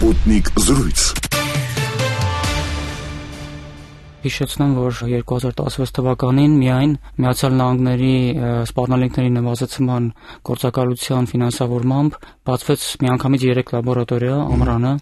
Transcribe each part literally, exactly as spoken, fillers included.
Sputnik զրույց։ Հիշեցնեմ, որ երկու հազար տասնվեց թվականին միայն Միացյալ Նահանգների սպառնալիքների նվազեցման գործակալության ֆինանսավորմամբ բացվեց միանգամից երեք լաբորատորիա ամռանը,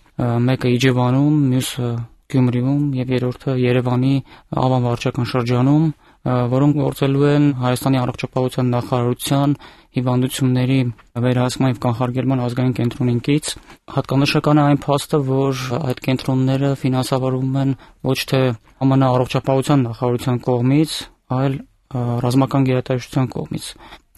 մեկը Իջևանում, մյուսը Գյումրիում եւ երրորդը Երևանի Ավան վարչական շրջանում, որոնք գործելու են Հայաստանի առողջապահության նախարարության հիվանդությունների վերահսկման եւ կանխարգելման ազգային կենտրոնից։ Հատկանշական է այն փաստը, որ այդ կենտրոնները ֆինանսավորվում են ոչ թե ԱՄՆ առողջապահության նախարարության կողմից, այլ ռազմական գերատեսչության կողմից։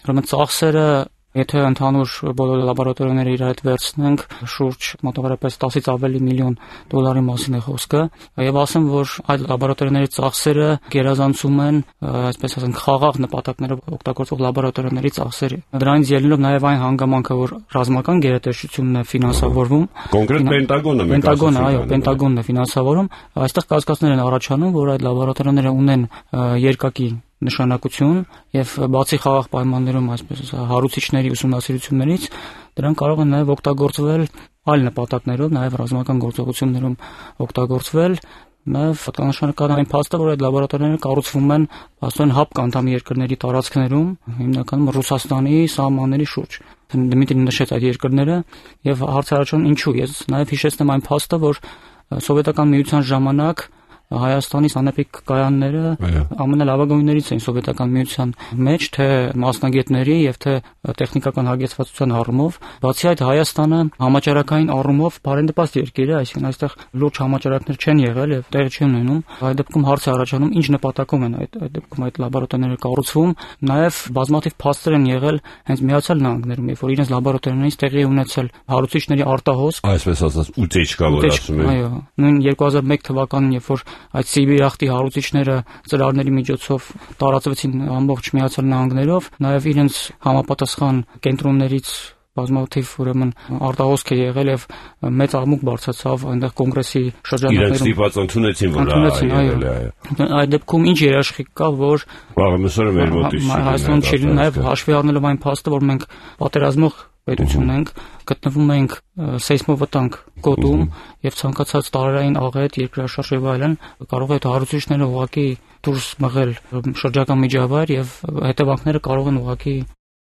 Ուրեմն ծախսերը, եթե ընդհանուր բոլոր լաբորատորիաները իր հետ վերցնենք, շուրջ մոտավորապես տասից ավելի միլիոն դոլարի մասին է խոսքը, եւ ասեմ, որ այդ լաբորատորիաների ծախսերը գերազանցում են, այսպես ասենք, խաղաղ նպատակներով օգտագործող լաբորատորիաների ծախսերը։ Դրանից ելնելով նաեւ այն հանգամանքը, որ ռազմական գերատեսչությունն է ֆինանսավորվում, կոնկրետ Պենտագոնը, Պենտագոնը, այո, Պենտագոնն է ֆինանսավորում, այստեղ կասկածներ են առաջանում, որ այդ լաբորատորիաները ունեն երկակի նշանակություն եւ բացի խաղաղ պայմաններում, այսպես հարուցիչների ուսումնասիրություններից, դրանք կարող են նաեւ օգտագործվել այլ նպատակներով, նաեւ ռազմական գործողություններում օգտագործվել։ Նաեւ հատկանշական այն փաստը, որ այդ լաբորատորիաները կառուցվում են աստորեն հապկ անդամ երկրների տարածքներում, հիմնականում Ռուսաստանի սահմանների շուրջ։ Դմիտրին նշեց այդ երկրները եւ հարց առաջանում ինչու։ Ես նաեւ հիշեցնեմ այն փաստը, որ սովետական միության ժամանակ Հայաստանի սանեպիկ կայանները ամենալավագույններից էին սովետական միության մեջ, թե մասնագետների եւ թե տեխնիկական հագեցվածության առումով։ Բացի այդ, Հայաստանը համաճարակային առումով բարենպաստ երկիր է, այսինքն այստեղ լուրջ համաճարակներ չեն եղել եւ տեղի չեն ունենում։ Այդ դեպքում հարց է առաջանում, ինչ նպատակով են այդ այդ դեպքում այդ լաբորատորիաները կառուցվում։ Նաեւ բազմաթիվ փաստեր են եղել հենց Միացյալ Նահանգներում, երբ որ իրենց լաբորատորիաներից տեղի ունեցել հարուցիչների արտահոսք, այսպես ասած, ուտեչկա, որ ասում են։ Այո, նույն երկու հազար մեկ թվականին, երբ որ այդ Սիբիրախտի հարուցիչները ծրարների միջոցով տարածվեցին ամբողջ Միացյալ Նահանգներով, նաև իրենց համապատասխան կենտրոններից բազմաթիվ ուրեմն արտահոսք է եղել եւ մեծ աղմուկ բարձրացավ այնտեղ կոնգրեսի շրջանակներում։ Իրենց դիպած ընդունեցին, որ այո, այո։ Այդ դեպքում ինչ երաշխիք կա, որ վաղեմիսօրը մեր մոտից Հայաստանում չի լինի, նաև հաշվի առնելով այն փաստը, որ մենք պատերազմող պետություն ենք, գտնվում ենք սեյսմովտանգ գոտում եւ ցանկացած տարերային աղետ, երկրաշարժ եւ այլն կարող է այդ հարուցիչները ուղղակի դուրս մղել շրջակա միջավայր եւ հետևանքները կարող են ուղղակի